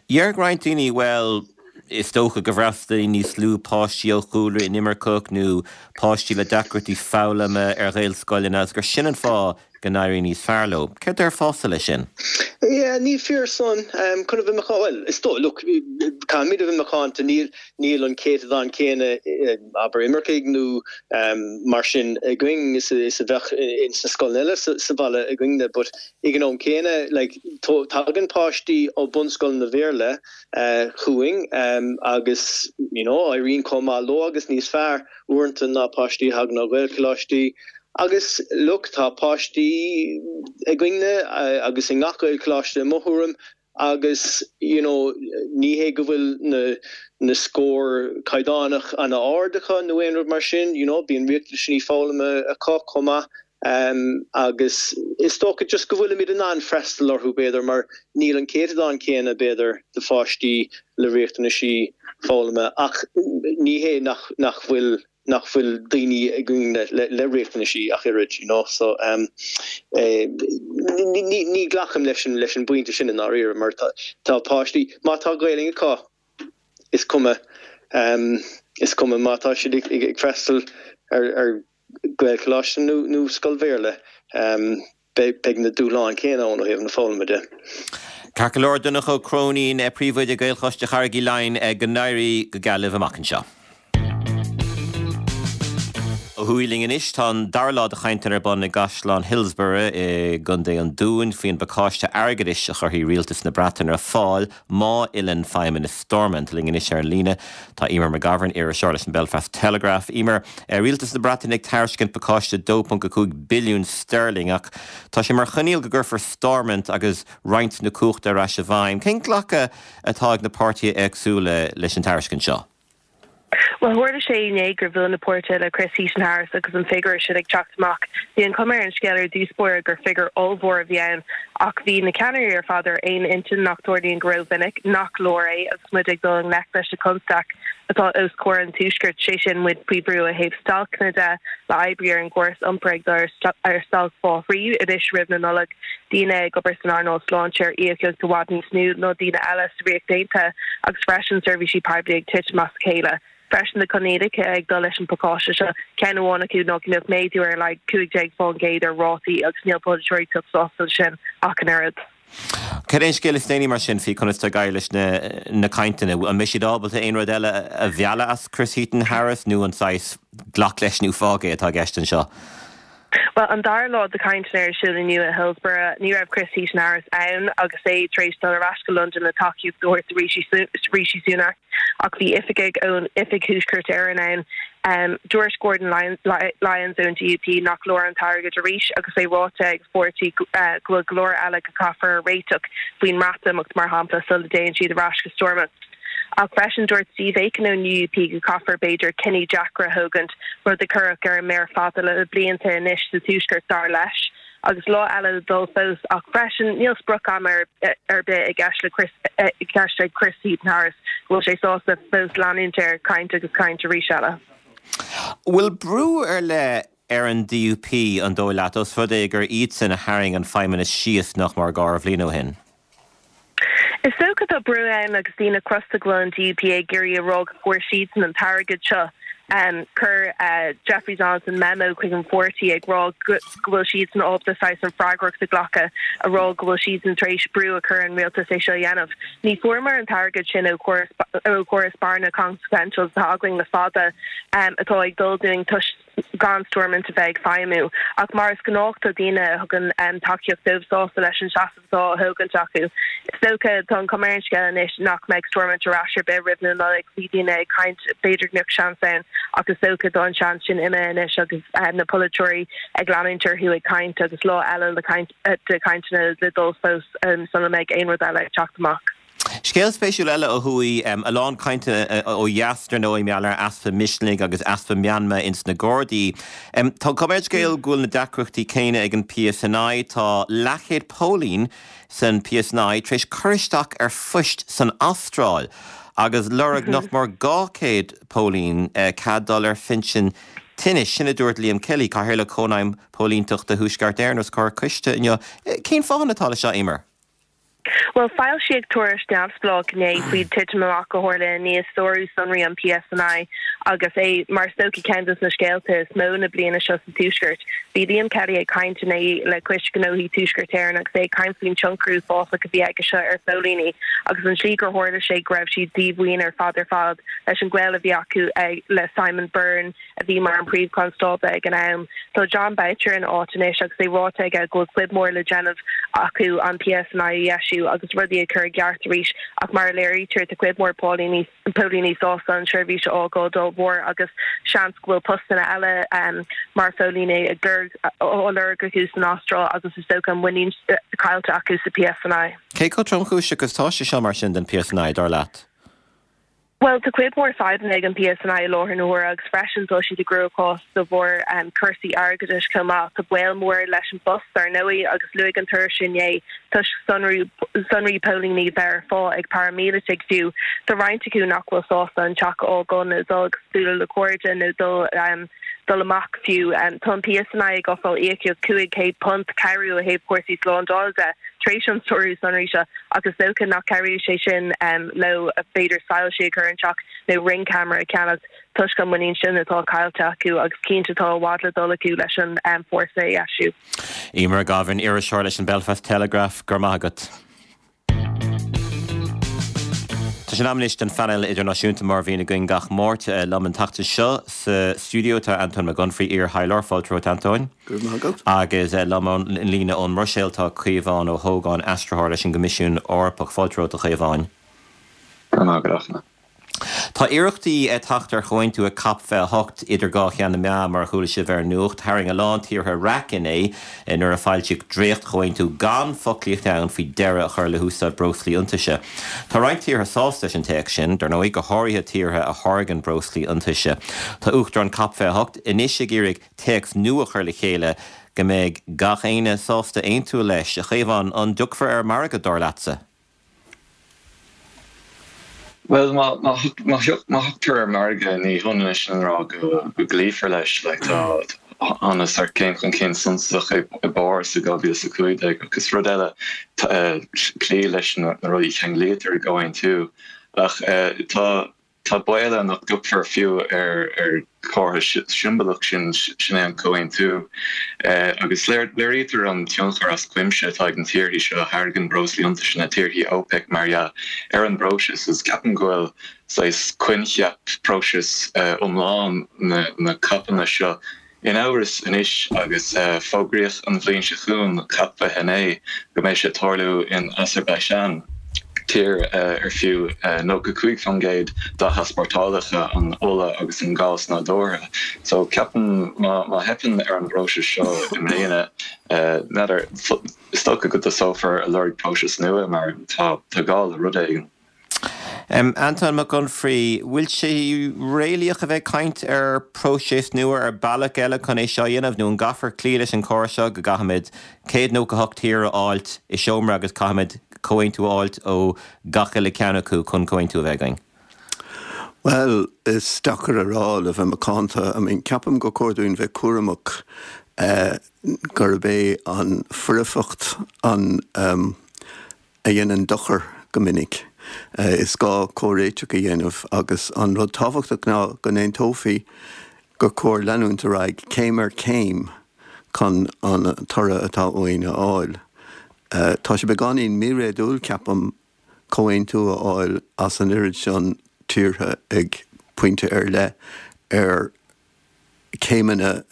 Déarfadh roinnt daoine, bhuel, is dócha go bhfreastalaíonn níos lú páistí ó chúlra inimirceach nó páistí le deacrachtaí foghlama ar Ghaelscoileanna agus gur sin an fáth go n-éiríonn níos fearr leo. Céard déarfása leis sin? Yeah, ní fíor san. Chun a bheith macánta, bhuel, is dóigh, look, caithfimid a bheith macánta, níl, níl an céatadán céanna, abair, imircigh nó mar sin againn is a bheadh ins na scoileanna eile sa bhaile againne, but Ag an am céanna, like, tagann páistí ó bunscoileanna Bhéarla chugainn agus, you know, éiríonn chomh maith leo agus níos fearr uaireanta ná páistí a thagann ó Ghaelcholáistí. Agus, look, tá páistí againne agus i ngach Gaelcholáiste i mo thuairim agus, you know, ní hé go bhfuil na na scóir caighdeánach ana-ard acu nó aon rud mar sin, you know, bíonn riachtanaisí foghlama acu chomh maith agus is dócha just go bhfuilimid in ann freastal orthu b'fhéidir mar níl an céatadán céanna b'fhéidir de pháistí le riachtanaisí foghlama ach ní hé nach nach bhfuil nach bhfuil daoine againn le le riachtanaisí ach oiread, you know, so ní ní ghlacaim leis an leis an bpointe sin i ndáiríre mar tá tá páistí, má tá Gaelainn acu is cuma is cuma má tá siad ag ag freastal ar ar Gaelcholáiste nó nó scoil Bhéarla. Beidh na dúshláin céanna ann ó thaobh na foghlama de. Ceart go leor, Donncha Ó Cróinín, Príomhoide Gaelcholáiste Charraig Uí Leighin, go n-éirí go geal libh amach anseo. Ó thuaidh linn anois, tá an dara lá de chainteanna ar bun i gCaisleán Hillsborough i gContae an Dúin faoin bpacáiste airgeadais a chuirfidh Rialtas na Breataine ar fáil má fhilleann Feidhmeannas Stormont. Linn anois ar an líne tá Eimear McGovern, iriseoir leis an Belfast Telegraph. Eimear, Rialtas na Breataine ag tairiscint pacáiste 2.5 billiún sterling ach tá sé mar choinníoll go gcuirfear Stormont agus roinnt na cumhachta ar ais i bhfeidhm. Cén glacadh atá ag na páirtithe éagsúla leis an tairiscint seo? Bhuel, tharla sé inné gur bhuail na páirtithe le Chris Heaton-Harris agus an figiúr sin ag teacht amach. Bhí an chuma ar an scéal ar dtús báire gur figiúr ollmhór a bhí ann ach bhí na ceannairí ar fad ar aon intinn nach dtarlaíonn go rómhinic, nach leor é agus muid ag dul i ngleic leis na constaicí atá os comhair an Tuaiscirt, sé sin muid faoi bhrú ó thaobh stailceanna de, le oibrithe ar an gcóras iompair ag dul ar stailc fá thrí anois roimh na Nollag. daoine ag obair san earnáil sláinte ar íocaíocht i bhfad níos lú ná daoine eile sa Ríocht Aontaithe agus freisin seirbhísí poiblí ag titim as a chéile. Freisin na coinníollacha ag dul leis an bpacáiste seo, ceann amháin acu ná go mbeadh méadú ar a laghad 15% ar rátaí agus níl polaiteoirí ag teacht sásta leis sin ach an oiread. Cad é an scéal is déanaí mar sin faoi conas tá ag éirí leis na cainteanna? An mbeidh siad ábalta aon rud eile a mhealladh as Chris Heaton-Harris nó an saghas glac leis nó fág é atá i gceist anseo? Bhuel, an dara lá de chainteanna ar siúl inniu i Hillsborough, ní raibh Chris Heaton-Harris ann agus é tar éis dul ar ais go Londain le tacaíocht a thabhairt do Rishi Sunak ach bhí oifigigh ón Oifig Thuaisceart Éireann ann. Dúirt Gordon Lyons ón DUP nach leor an t-airgead arís agus é ráite ag a pháirtí go bhfuil go leor eile go caithfear a réiteach faoin mBreatimeacht, mar shampla, sula dtéann siad ar ais go Stormont. Ach freisin dúirt Steve Aiken ón UUP go caithfear b'fhéidir cinní deacra a thógaint, rud a cuireadh ar an méar fada le blianta anois sa Tuaisceart dar leis. Agus lá eile le dul fós ach freisin níl sprioc ama ar bith i gceist le Chris i gceist ag Chris Heaton-Harris go bhfuil sé sásta fós leanúint air caint agus caint arís eile. Bhfuil brú ar leith ar an DUP, an dóigh leat, os rud é gur iadsan a tharraing an Feidhmeannas síos nach mór gearrbhliain ó shin? Is dócha tá brú ann agus daoine crosta go bhfuil an DUP ag iarraidh a rá go bhfuair siadsan an t-airgead seo. Chuir Jeffrey Donaldson memo chuig an pháirtí ag rá go bhfuil siadsan ábalta saghas an freagracht a ghlacadh, a rá go bhfuil siadsan tar éis brú a chur ar an rialtas é seo a dhéanamh. Ní fuaireamar an t-airgead sin ó chóras bearna consequentials atá againn le fada atá ag dul dúinn toisc gan Stormont a bheith ag feidhmiú. Ach mar is gnách tá daoine a thugann tacaíocht dóibh sásta leis an seasamh atá á thógaint acu. Is dócha, tá an chuma ar an scéal anois nach mbeidh Stormont ar ais ar bith roimh na Nollaig. Bhí daoine ag caint b'fhéidir go mbeadh seans ann ach is dócha tá an seans sin imithe anois agus na polaiteoirí ag leanúint orthu ag caint agus lá eile le caint de chainteanna le dul fós sula mbeidh aon rud eile ag teacht amach. Scéal spéisiúil eile ó thuaidh, a lán cainte ó dheas dar ndóigh, mar gheall ar easpa misnigh agus easpa meanma ins na Gardaí. Tá an chuma ar an scéal go bhfuil na deacrachtaí céanna ag an PSNI. Tá leathchéad póilín san PSNI tar éis cur isteach ar phoist san Astráil agus lorg nach mór 200 póilín cead dul ar phinsean tinnis. Sin a dúirt Liam Kelly, Cathaoirleach Chónaidhm Póilínteachta Thuaisceart Éireann os comhair coiste inniu. Cén fáthanna atá leis seo, Eimear? Bhuel, foilsíodh tuairisc neamhspleách inné faoin titim amach a tharla i ndiaidh sárú sonraí an PSNI agus é mar is dócha ceann de na scéalta is mó na bliana seo sa Tuaisceart. Bhí Liam Kelly ag caint inné le Coiste Gnóthaí Tuaisceart Éireann agus é ag caint faoin tionchar uafásach a bhí aige seo ar phóilíní agus an tslí gur tharla sé go raibh siad díomhaoin ar fad ar fad leis an gaol a bhí acu le Simon Byrne a bhí mar an Príomh-Chonstábla ag an am. Tá Jon Boutcher ina áit anois agus é ráite aige go bhfuil cuid mhór le déanamh acu an PSNI a dheisiú agus rudaí a chur i gceart arís ach mar a léirítear tá cuid mhór póilíní póilíní sásta an tseirbhís a fhágáil dá bharr agus seans go bhfuil postanna eile mar phóilíní ag lorg á lorg acu san Astráil agus is dócha an muinín caillte acu sa PSNI. Cé chomh tromchúiseach is atá sé seo mar sin don PSNI, dar leat? Bhuel, tá cuid mhór fadhbanna ag an PSNI i láthair na huaire agus freisin tá siad i gcruachás de bharr cúrsaí airgeadais chomh maith. Tá baol mór leis an bpost, dar ndóigh, agus luaigh an tuairisc inné toisc sonraí sonraí póilíní bheith ar fáil ag paraimíleataigh fiú, tá roinnt acu nach bhfuil sásta an teach a fhágáil nó dul agus bualadh le cairde nó dul dul amach fiú. Tá an PSNI ag ofráil íocaíocht £500 cabhrú ó thaobh cúrsaí slándála de tar éis an sárú sonraí seo. Ach is dócha nach cabhróidh sé sin leo b'fhéidir soilsí a chur an teach nó ring camera a cheannacht toisc an muinín sin atá caillte acu agus cinnte tá i bhfad le dul acu leis an fórsa a dheisiú. Eimear Gavin, iriseoir leis an Belfast Telegraph, go raibh maith agat. Tá sé in am anois don phainéal idirnáisiúnta mar a bhíonn againn gach Máirt. Liom an tseachtain seo sa stiúideo tá Antóin Mac Unfraidh, iar-thaidhleoir. Fáilte romhat, Antóin. Go raibh maith agat. Agus liom ar an líne ón mBruiséil tá Caomhán Ó hÓgáin, aistritheoir leis an gCoimisiún Eorpach. Fáilte romhat, a Chaomháin. Go raibh maith agat, a Achna. Tá iarrachtaí teacht ar chomhaontú ag Cop 28 idir dhá cheann na meá, mar a chuala sibh ar an nuacht. Tharraing a lán tíortha raic inné nuair a foilsíodh dréacht-chomhaontú gan foclaíocht ann faoi deireadh a chur le húsáid breoslaí iontaise. Tá roinnt tíortha sásta leis an téacs sin, dar ndóigh, go háirithe tíortha a tháirgeann breoslaí iontaise. Tá Uachtarán Cop 28 anois ag iarraidh téacs nua a chur le chéile go mbeidh gach éinne sásta aontú leis. A Chaomháin, an dtiocfar ar margadh, dar leatsa? Bhuel, má thioctar ar mhargadh, ní hionann é sin a rá go gcloífear leis. Like, tá thána sórt céim chun cinn suntasach i bPáras i 2015 ach is rud eile cloí leis na rudaí a cheanglaítear i gcomhaontú. Ach tá. Tá baol ann nach dtiocfar fiú ar ar chomhartha siombalach sin, sin é an comhaontú. Agus léirítear an tionchar as cuimse atá ag na tíortha seo a tháirgeann breoslaí iontaise, na tíorthaí OPEC mar dhea, ar an bpróiseas agus ceapaim go bhfuil saghas coincheap próiseas iomlán na COPanna seo in amhras anois agus fógraíodh an bhliain seo chugainn, Cop 29, go mbeidh sé ag tarlú in Azerbaijan, tír ar fiú 95% dá heaspórtálacha an ola agus an gás nádúrtha. So ceapaim má theipeann ar an bpróiseas seo i mbliana, n'fheadar, is dócha go dtosófar ag lorg próiseas nua mar tá gá le rud éigin. Antóin Mac Unfraidh, Bhfuil sé réalaíoch a bheith ag caint ar próiseas nua, ar bealach eile chun é seo a dhéanamh, nó an gcaithfear cloí leis an chóras seo go gcaithfimid 198 tír a fháilt i seomra agus caithfimid comhaontú a fháilt ó gach uile ceann acu chun comhaontú a bheith againn? Bhuel, is deacair a rá, le bheith macánta. I mean, ceapaim gur cóir dúinn bheith cúramach gurb é an foirfeacht an, a dhéanann dochar go minic. Is gá comhréiteach a dhéanamh agus an rud tábhachtach ná go n-aontófaí gur cóir leanúint ar aghaidh céim ar chéim chun an toradh atá uainn a fháil. Tá sé beagáinín míréadúil, ceapaim, comhaontú a fháil as an oiread sin tíortha ag pointe ar leith ar céimeanna,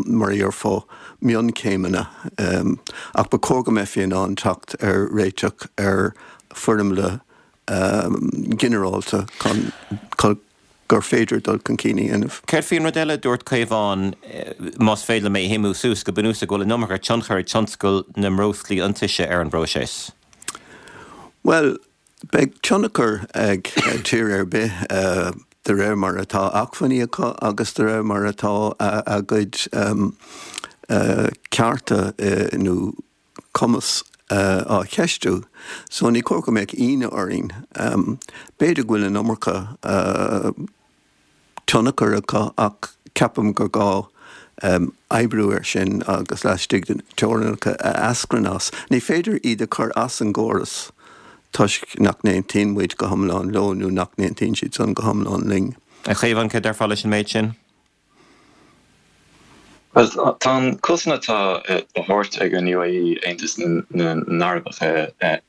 mar a dhéarfá, mionchéimeanna, ach ba chóir go mbeifí in ann teacht ar réiteach ar foirmle ginearálta chun gur féidir dul chun cinn a dhéanamh. Céard faoin rud eile a dúirt Caomhán, más féidir liom é a shuimiú suas, go bunúsach go bhfuil an iomarca tionchar ag tionscal na mbreoslaí iontaise ar an bpróiseas? Bhuel, Beidh tionchar ag tír ar bith de réir mar atá acmhainní acu agus de réir mar atá a gcuid cearta nó cumas á cheistiú. So ní cóir go mbeadh ionadh orainn. B'fhéidir go bhfuil an iomarca. tionchar acu ach ceapaim gur gá oibriú air sin agus laistigh de na teorainneacha a eascraíonn as. Ní féidir iad a chur as an gcóras toisc nach n-aontaíonn muid go hiomlán leo nó nach n-aontaíonn siad san go hiomlán linn. A Chaomháin, céard a déarfá leis an méid sin? Bhuel, tá an cosaint atá á thabhairt ag an UAE, Aontas na nArabach,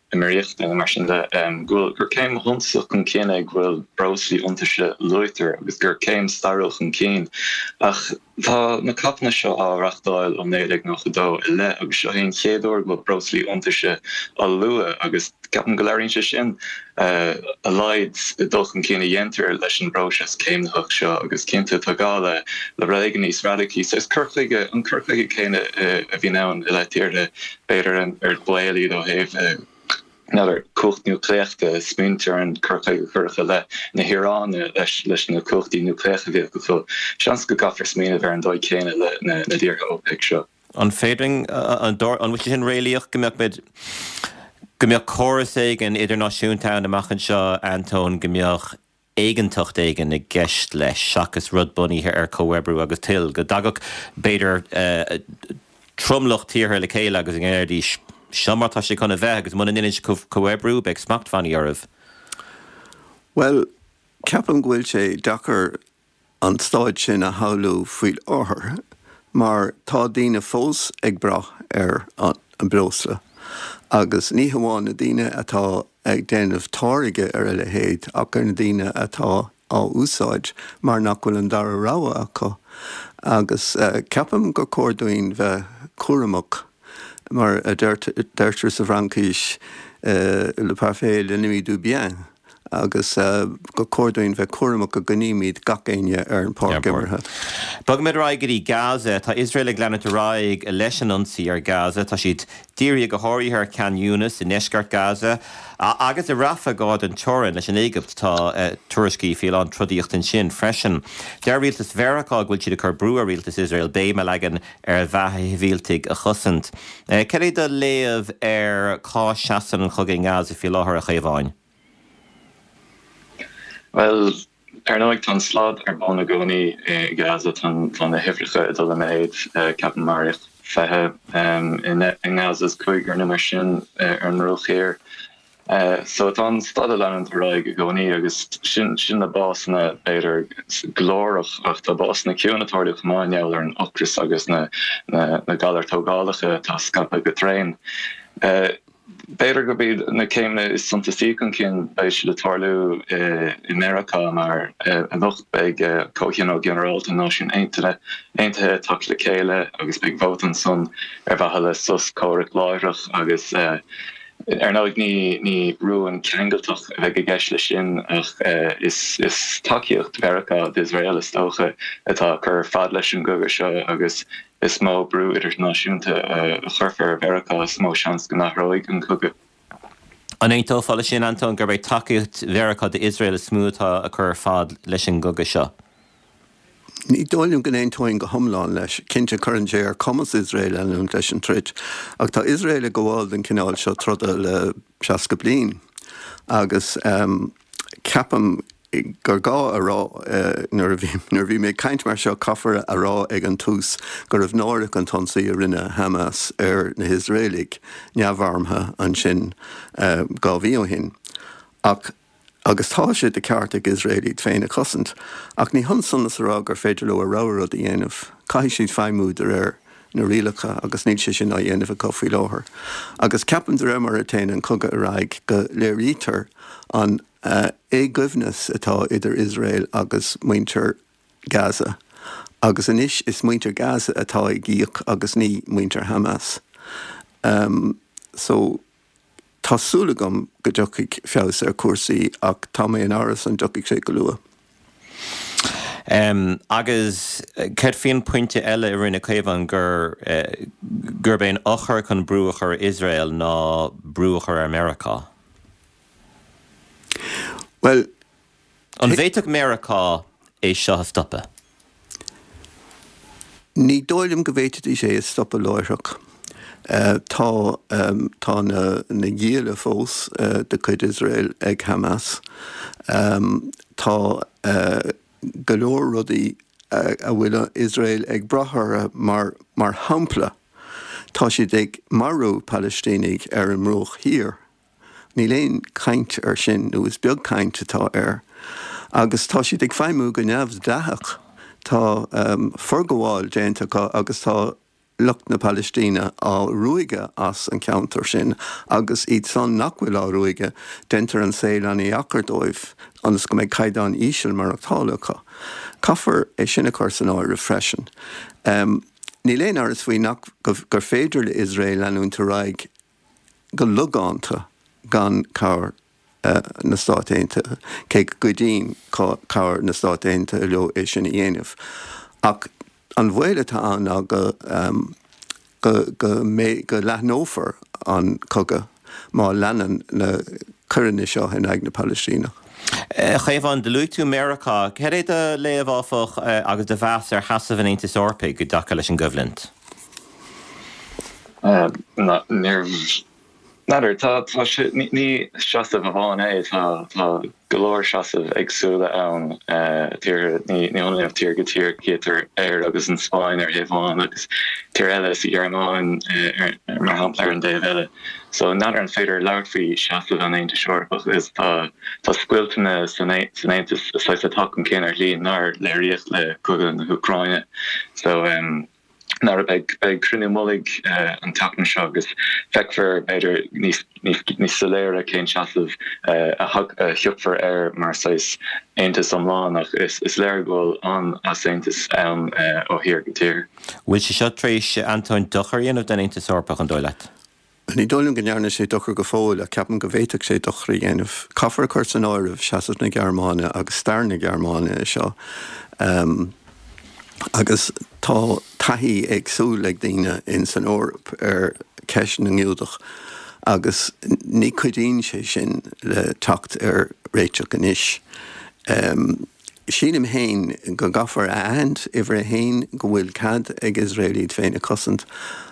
Éimiríochta nó mar sin de, go bhfuil, gur céim shuntasach chun cinn é go bhfuil breoslaí iontaise luaitear agus gur céim stairiúil chun cinn. Ach tá na COPanna seo á reáchtáil ó 1992 i leith agus seo é an chéad uair go bhfuil breoslaí iontaise á lua agus ceapaim go léiríonn sé sin a laghad dul chun cinn a dhéantar leis an bpróiseas céimnitheach seo agus cinnte tá gá le rud éigin níos radacaí. Saghas cur chuige, an cur chuige céanna a bhíonn ann i leith tíortha b'fhéidir ar baol iad ó thaobh n'fheadar, cumhacht núicléach de, smaointear ar an cur chuige a cuireadh i leith na hIaráine leis na cumhachtaí núicléacha a bhíodh acu. Seans go gcaithfear smaoineamh ar an dóigh chéanna le na tíortha OPEC seo. An féidir, an bhfuil sé sin réalaíoch go mbeadh muid, go mbeadh córas éigin idirnáisiúnta ann amach anseo, Antóin, go mbeadh éigeantacht éigin i gceist leis seachas rud bunaithe ar chomhoibriú agus toil, go dtagadh, b'fhéidir, tromlach tíortha le chéile agus go ndéarfaidís, seo mar tá sé chun a bheith agus muna ndéanann sibh comhoibriú, beidh smachtbhannaí oraibh. Bhuel, ceapaim go bhfuil sé deacair an staid sin a shamhlú faoi láthair mar tá daoine fós ag brath ar an bhreosla agus ní hamháin na daoine atá ag déanamh táirge ar a leithéid ach ar na daoine atá á úsáid mar nach bhfuil an dara rogha acu agus ceapaim gur cóir dúinn bheith cúramach mar a deirtear sa bhFraincis le parfait est l'ennemi du bien. agus gur cóir dúinn bheith cúramach go gcoinnímid gach éinne ar an pháirc imeartha. Bogfaimid ar aghaidh go dtí Gaza. Tá Iosrael ag leanúint ar aghaidh leis an ionsaí ar Gaza. Tá siad dírithe go háirithe ar Khan Younis i ndeisceart Gaza agus i Rafah gar don teorainn leis an Éigipt. Tá tuairiscí faoi a lán trodaíochta ansin freisin. Deir rialtas Mheiriceá go bhfuil siad ag cur brú ar rialtas Iosrael béim a leagan ar bheatha shibhialtaigh a chosaint. Cad é do léamh ar cá seasann an cogadh i nGaza faoi láthair, a Chaomháin? Bhuel, ar ndóigh, tá an slad ar bun i gcónaí i Gaza. Tá na huimhreacha ag dul i méad. Ceapaim maraíodh 20 i nGaza is cúigear nó mar sin ar an mBruach Thiar. So tá an staid ag leanúint ar aghaidh i gcónaí agus sin sin na básanna b'fhéidir glórach ach tá básanna ciúin ag tarlú chomh maith i ngeall ar an ocras agus na na galair tógálacha atá ag scaipeadh go tréan. B'fhéidir gurb iad na céimeanna is suntasaí chun cinn, beidh siad ag tarlú i Meiriceá mar anocht beidh Comhthionól Ginearálta na Náisiún Aontaithe ag teacht le chéile agus beidh vóta ansan ar mhaithe le sos comhraic láithreach agus ar ndóigh ní rún ceangailteach a bheidh i gceist leis sin ach is tacaíocht Mheiriceá d'Iosrael is dócha atá ag cur fad leis an gcogadh seo agus Is mó brú idirnáisiúnta a chuirfear ar Mheiriceá, is mó seans go n-athróidh an cogadh. An aontófá leis sin, Antóin, gurb é tacaíocht Mheiriceá d'Iosrael is mó atá ag cur fad leis an gcogadh seo? Ní dóigh liom go n-aontóinn go hiomlán leis. Cinnte, cuireann sé ar cumas Iosrael leanúint leis an troid. Ach tá Iosrael ag gabháil don chineál seo troda le 60 bliain agus ceapaim gur gá a rá, nuair a bhí mé ag caint mar seo, caithfear a rá ag an tús go raibh náireach an t-ionsaí a rinne Hamas ar na hIosraelaigh neamharmtha ansin 2 mhí ó shin. Ach, agus tá sé de cheart ag Iosrael iad féin a chosaint, ach ní hionann san is a rá gur féidir leo a rogha rud a dhéanamh. Caithfidh siad feidhmiú de réir na rialacha agus níl sé sin á dhéanamh acu faoi láthair. Agus ceapaim de réir mar a théann an cogadh ar aghaidh go léirítear an éagoibhneas atá idir Iosrael agus muintir Gaza agus anois is muintir Gaza atá ag íoc agus ní muintir Hamas. So tá súil agam go dtiocfaidh feabhas ar chúrsaí ach tá mé in amhras an dtiocfaidh sé go luath. Agus céard faoin pointe eile a rinne Caomhán gur gurb é an eochair chun brú a chur ar Iosrael ná brú a chur ar Meiriceá? Bhuel, An bhféadfadh Meiriceá é seo a stopadh? Ní dóigh liom go bhféadfaidís é a stopadh láithreach. Tá tá na na gialla fós de chuid Iosrael ag Hamas. Tá go leor rudaí a bhfuil Iosrael ag brath orthu mar mar shampla, tá siad ag marú Palaistínigh ar an mBruach Thiar. Níl aon chaint air sin, nó is beag caint atá air. Agus tá siad ag feidhmiú go neamhdhleathach. Tá forghabháil déanta acu agus tá lucht na Palaistíne á ruaigeadh as an cheantar sin agus iad san nach bhfuil á ruaigeadh, deintear an saol an-dheacair dóibh ionas go mbeidh caighdeán íseal maireachtála acu. Caithfear é sin a chur san áireamh freisin. Níl aon amhras faoi nach gur féidir le Iosrael leanúint ar aghaidh go logánta gan cabhair na Stát Aontaithe, cé go gcuidíonn cabhair na Stát Aontaithe leo é sin a dhéanamh. Ach an baol atá ann ná go go go mbeidh go leathnófar an cogadh má leanann na coireanna seo in aghaidh na Palaistíneach. A Chaomháin, do luaigh tú Meiriceá. Cad é do léamh, áfach, agus do mheas ar sheasamh an Aontais Eorpaigh i dtaca leis an gcoimhlint? N'fheadar, tá, tá sé, ní seasamh amháin é, tá, tá go leor seasamh éagsúla ann, tíortha, ní hionann ó tír go tír, cítear Éire agus an Spáinn ar thaobh amháin agus tír eile sa Ghearmáin mar shampla ar an dtaobh eile. So n'fheadar an féidir labhairt faoi seasamh an Aontais Eorpach is tá, tá scoilteanna san Aontas saghas ag teacht chun cinn ar shlí nár léiríodh le cogadh na hÚcráine. So. N'fheadar, beidh beidh cruinniú mullaigh an tseachtain seo agus feicfear b'fhéidir níos níos níos soiléire cén seasamh a a thiocfar air mar saghas aontas iomlán ach is is léir go bhfuil an-easaontas ann ó thír go tír. Bhfuil sé seo tar éis, Antóin, dochar a dhéanamh don Aontas Eorpach, an dóigh leat? Ní dóigh liom go ndearna sé dochar go fóill, ach ceapaim go bhféadfadh sé dochar a dhéanamh. Caithfear a chur san áireamh seasamh na Gearmáine agus stair na Gearmáine i seo. Agus tá taithí éagsúil ag daoine in san Eoraip ar cheist na nGiúdach agus ní chuidíonn sé sin le teacht ar réiteach anois. Sílim féin go gcaithfear a aithint, uimhir a haon, go bhfuil cead ag Iosrael iad féin a chosaint,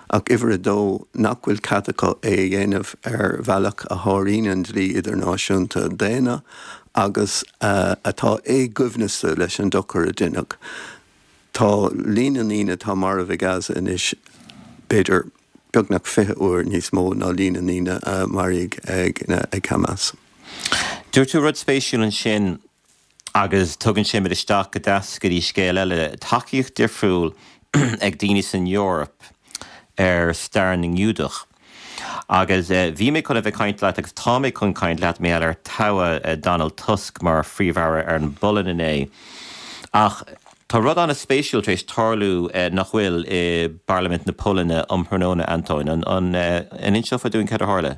ach uimhir a dó, nach bhfuil cead acu é a dhéanamh ar bhealach a sháraíonn an dlí idirnáisiúnta daonna agus atá éagoibhneasta leis an dochar a deineadh. Tá líon na ndaoine atá marbh i Gaza anois, b'fhéidir. beagnach 20 uair níos mó ná líon na ndaoine a maraíodh ag Hamas. Dúirt tú rud spéisiúil ansin agus tugann sé muid isteach go deas go dtí scéal eile, tacaíocht difriúil ag daoine san Eoraip ar stair na nGiúdach. Agus bhí mé chun a bheith ag caint leat agus tá mé chun caint leat mar gheall ar toghadh Donald Tusk mar Phríomh-Aire ar an bPolainn inné. Ach tá rud an-spéisiúil tar éis tarlú, nach bhfuil, i bParlaimint na Polainne um thráthnóna, Antóin. An inseofá dúinn cad a tharla?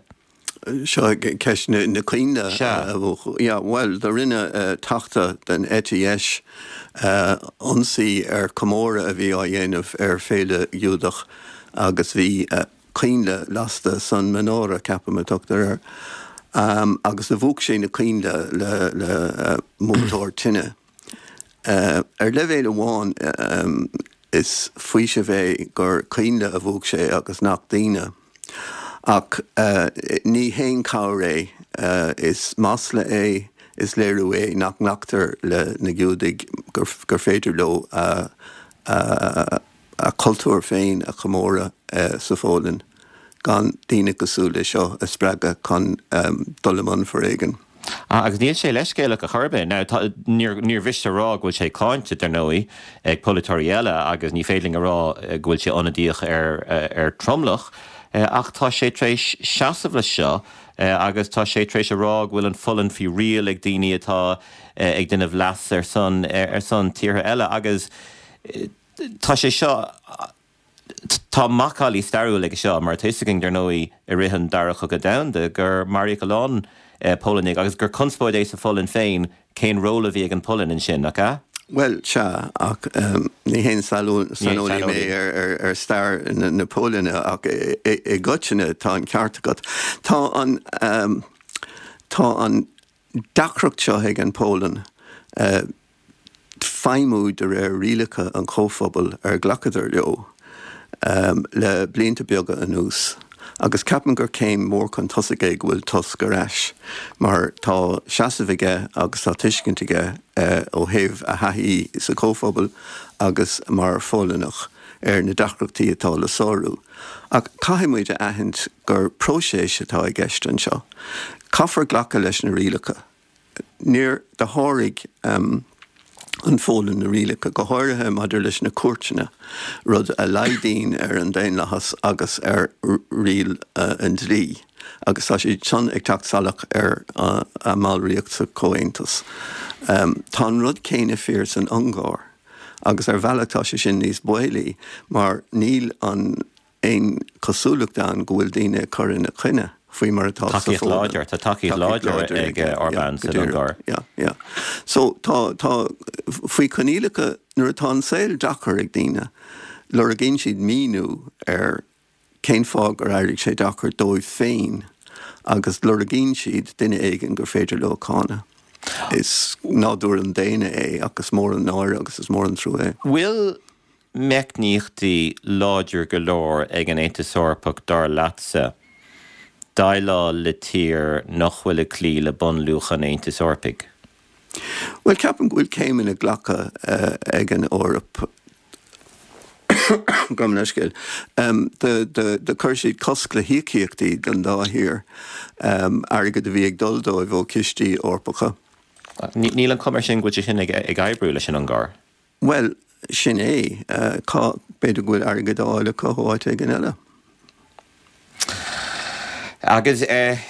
Seo ceist na coinnle a mhúchadh. Yeah, bhuel, do rinne teachta den eite dheis ionsaí ar comóradh a bhí á dhéanamh ar féile Ghiúdach agus bhí coinnle lasta san menorah, ceapaim a tugtar air, agus do mhúch sé na coinnle le le múchtóir tine. Ar leibhéal amháin is faoiseamh é gur coinnle a mhúch sé agus nach daoine. Ach ní haon chabhair é. Is masla é, is léiriú é nach nglactar le na Giúdaigh gur féidir leo a cultúr féin a chomóradh sa Pholainn gan daoine cosúil le seo a spreagadh chun dul i mbun foréigin. Agus níl sé leithscéalach ar chor ar bith. Now, tá, níor, níor mhiste a rá go bhfuil sé cáinte, dar ndóigh, ag polaiteoirí eile agus ní féidir linn a rá go bhfuil sé ionadaíoch ar, ar tromlach, ach tá sé tar éis seasamh leis seo agus tá sé tar éis a rá go bhfuil an Pholainn faoi riail ag daoine atá ag déanamh leas ar son, ar son tíortha eile agus tá sé seo, Tá macallaí stairiúil aige seo, mar tá fhios againn, dar ndóigh, i rith an Dara Cogadh Domhanda, gur maraíodh a lán Polannaigh agus gur conspóid é sa Pholainn féin cén ról a bhí ag an Pholainn ansin, nach ea? Bhuel, sea, ach ní haon saineolaí mé ar stair na Polainne, ach i gcoitinne tá an ceart agat. Tá an, tá an deacracht seo ag an Pholainn feidhmiú de réir rialacha an Chomhphobail ar ghlacadar leo le blianta beaga anuas agus ceapaim gur céim mhór chun tosaigh é go bhfuil Tusk ar ais mar tá seasamh aige agus tá tuiscint aige ó thaobh a thaithí sa Chomhphobal agus mar Pholannach ar na deacrachtaí atá le sárú. Ach caithfidh muid a aithint gur próiseas atá i gceist anseo. Caithfear glacadh leis na rialacha. Níor, do sháraigh an Pholainn na rialacha, go háirithe maidir leis na cúirteanna, rud a laghdaíonn ar an daonlathas agus ar riail an dlí, agus tá siad san ag teacht salach ar a mballraíocht sa Chomhaontas. Tá an rud céanna fíor san Ungáir, agus ar bhealach tá sé sin níos baolaí mar níl an aon chosúlacht ann go bhfuil daoine ag cur ina choinne, faoi mar atá sa Tacaíocht Pholainn. láidir, tá tacaíocht láidir ag Orbán san Ungáir. Yeah, yeah. So tá, tá, faoi choinníollacha, nuair atá an saol deacair ag daoine, lorgaíonn siad míniú ar cén fáth gur éirigh sé deacair dóibh féin agus lorgaíonn siad duine éigin gur féidir leo cáineadh. Is nádúr an daonna é ach is mór an náire agus is mór an trua é. Bhfuil meicníochtaí láidir go leor ag an Aontas Eorpach, dar leatsa, déileáil le tír nach bhfuil ag cloí le bunluacha an Aontais Eorpaigh? Bhuel, ceapaim go bhfuil céimeanna glactha ag an Eoraip, gabh mo leithscéal, do chuir siad cosc le híocaíochtaí don dá thír, airgead a bhí ag dul dóibh ó chistí Eorpacha. Níl an chuma air sin go bhfuil sé sin ag oibriú leis an Ungáir. Bhuel, sin é. Cá, b'fhéidir go bhfuil airgead á fháil acu ó áit éigin eile. Agus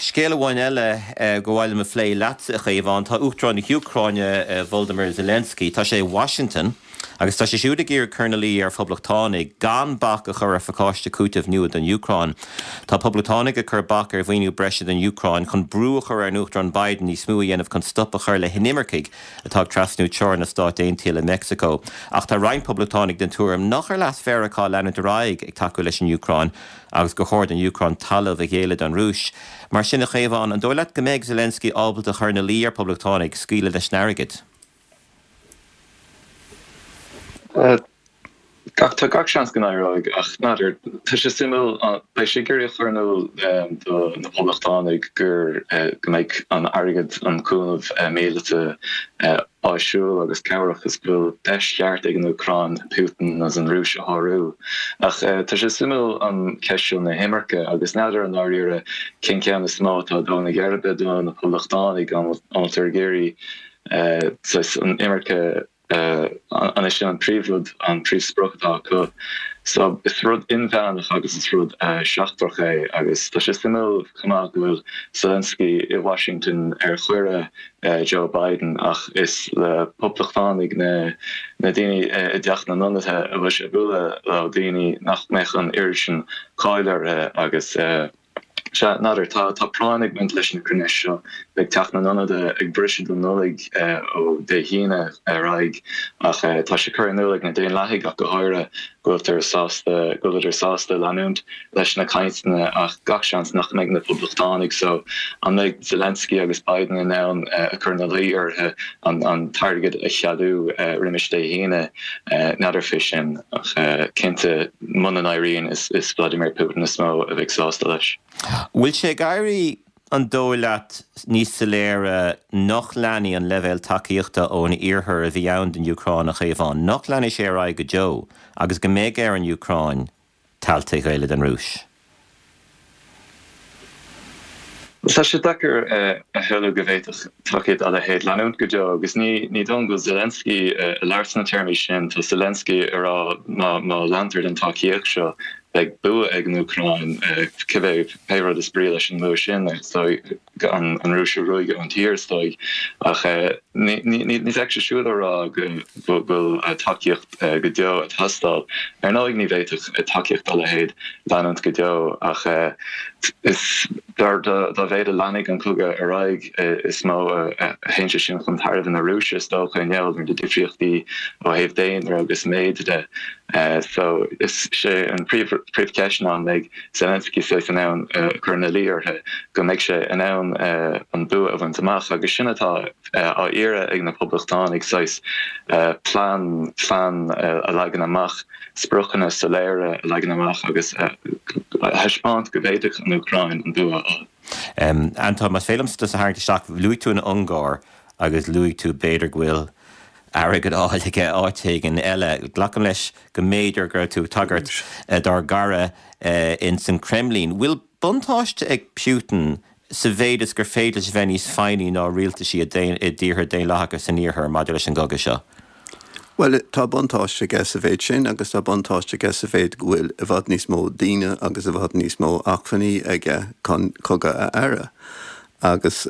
scéal amháin eile gur mhaith liom a phlé leatsa, a Chaomháin, tá Uachtarán na hÚcráine, Volodymyr Zelensky, tá sé i Washington agus tá sé siúd ag iarraidh cur ina luí ar phoblachtánaigh gan bac a chur ar phacáiste cúitimh nua don Úcráin. Tá poblachtánaigh ag cur bac ar mhaoiniú breise don Úcráin chun brú a chur ar an Uachtarán Biden níos mó a dhéanamh chun stop a chur le hinimircigh atá ag trasnú teorainn na Stát Aontaithe le Meicsiceo. Ach tá roinnt poblachtánaigh den tuairim nach ar leas Mheiriceá leanúint ar aghaidh ag tacú leis an Úcráin agus gur chóir don Úcráin talamh a ghéilleadh don Rúis. Mar sin, a Chaomháin, an dóigh leat go mbeidh Zelensky ábalta a chur ina luí ar phoblachtánaigh scaoileadh leis an airgead? Gach. Tá gach seans go n-éireoidh ach n'fheadar. Tá sé suimiúil, beidh sé ag iarraidh a chur in iúl do na Poblachtánaigh gur go mbeidh an airgead, an cúnamh míleata áisiúil agus cabhrach is go bhfuil deis cheart ag an Úcráin Putin agus an Rúis a shárú. Ach tá sé suimiúil an cheist seo na himirce agus n'fheadar i ndáiríre cén ceann is mó atá ag dó na geirbe do na Poblachtánaigh, an bhfuiltear ag iarraidh saghas an imirce an é sin an príomhrud, an príomhsprioc atá acu. So is rud inmheánach agus is rud seachtrach é agus tá sé suimiúil chomh maith go bhfuil Zelensky i Washington ar chuireadh Joe Biden ach is le Poblachtánaigh, na na daoine i dTeach na nIonadaithe a bhfuil sé ag bualadh leo, daoine nach mbeadh an oiread sin cáil orthu agus sea, n'fheadar, tá tá práinn ag baint leis na cruinnithe seo. Beidh Teach na nIonadaithe ag briseadh don Nollaig ó Dé hAoine ar aghaidh ach tá sé curtha in iúl ag na Daonlathaigh ach go háirithe go bhfuiltear sásta, go bhfuileadar sásta leanúint leis na cainteanna ach gach seans nach mbeidh na Poblachtánaigh so an mbeidh Zelensky agus Biden in ann a chur ina luí orthu an t-airgead a cheadú roimis Dé hAoine? N'fheadar fé sin ach cinnte muna n-éiríonn is Vladimir Putin is mó a bheidh sásta leis. Bhfuil sé ag éirí An dóigh leat níos soiléire nach leanfaidh an leibhéal tacaíochta ón Iarthar a bhí ann don Úcráin, a Chaomháin, nach leanfaidh sé ar aghaidh go deo agus go mbeidh ar an Úcráin tailte a ghéilleadh don Rúis? Tá sé deacair a shamhlú go bhféadfadh tacaíocht dá leithéid leanúint go deo agus ní dóigh liom go bhfuil Zelensky ag labhairt sna téarmaí sin. Tá Zelensky ag rá má leantar den tacaíocht seo beidh bua ag an Úcráin, cibé pé rud is brí leis an mbua sin, is dóigh, an Rúis a ruaigeadh ón tír, is dóigh. Ach ní bheadh sé siúd á rá go bhfuil tacaíocht go deo ag teastáil. Ar ndóigh ní bhféadfadh tacaíocht dá leithéid leanúint go deo ach is dá mhéad a leanfaidh an cogadh ar aghaidh is mó a théann sé sin chun tairbhe na Rúise, is dócha, i ngeall ar na difríochtaí ó thaobh daonra agus méid de. So is é an príomhcheist ná an mbeidh Zelensky saghas in ann cur ina luí orthu go mbeidh sé in ann an bua a bhaint amach agus sin atá á iarraidh ag na Poblachtánaigh, saghas plean, plean a leagan amach, spriocanna soiléire a leagan amach agus a thaispeáint go bhféadfadh an Úcráin an bua a fháil. Anton, más féidir liomsa tusa a tharraingt isteach, luaigh tú an Ungáir agus luaigh tú b'fhéidir go bhfuil airgead á fháil aige áit éigin eile. Glacaim leis go mb'fhéidir go raibh tú ag tagairt dár gcara ins an Kremlin. Bhfuil buntáiste ag Putin sa mhéid is gur féidir leis a bheith níos foighní ná rialtaisí i dtíortha daonlathacha san Iarthar maidir leis an gcogadh seo? Bhuel, tá buntáiste aige sa mhéid sin agus tá buntáiste aige sa mhéid go bhfuil i bhfad níos mó daoine agus i bhfad níos mó acmhainní aige chun cogadh a fhearadh. Agus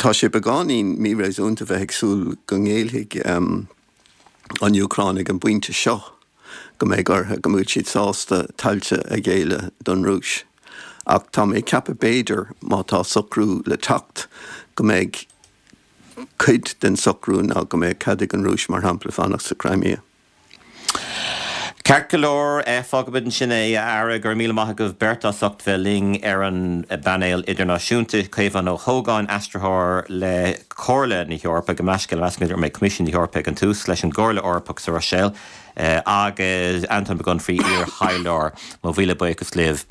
Tá sé beagáinín míréasúnta bheith ag súil go ngéillfidh an Úcráin ag an bpointe seo, go mbeidh orthu, go mbeidh siad sásta tailte a ghéilleadh don Rúis. Ach tá mé ag ceapadh b'fhéidir, má tá socrú le teacht, go mbeidh cuid den socrú ná go mbeadh cead ag an Rúis, mar shampla, fanacht sa Crimea. Ceart go leor, fágfaimid ansin é, a fheara. Go raibh míle maith agaibh beirt as ucht bheith linn ar an bpainéal idirnáisiúnta. Caomhán Ó hÓgáin, aistritheoir le Comhairle na hEorpa, gabh mo leithscéal, measaim go raibh mé Coimisiún na hEorpa ag an tús, leis an gComhairle Eorpach sa Bhruiséil, agus Anton Mac Unfraidh, iar-thaidhleoir. Mo mhíle buíochas libh.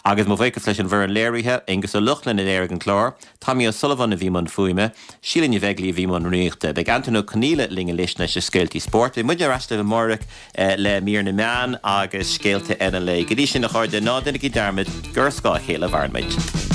Agus mo bhuíochas leis an bhfoireann léirithe, Aengus Ó Lochlainn a léirigh an clár. Tommy O'Sullivan a bhí i mbun fuaime, Síle Ní Bheaglaoí a bhí i mbun rúnaíochta. Beidh Antaine Ó Conghaile linn anois leis na scéaltaí spóirt. Beidh muidne ar ais libh amáireach le mír na meán agus scéalta eile an lae. Go dtí sin, a chairde, ná déanaigí dearmad gur ar scáth a chéile a mhaireann muid.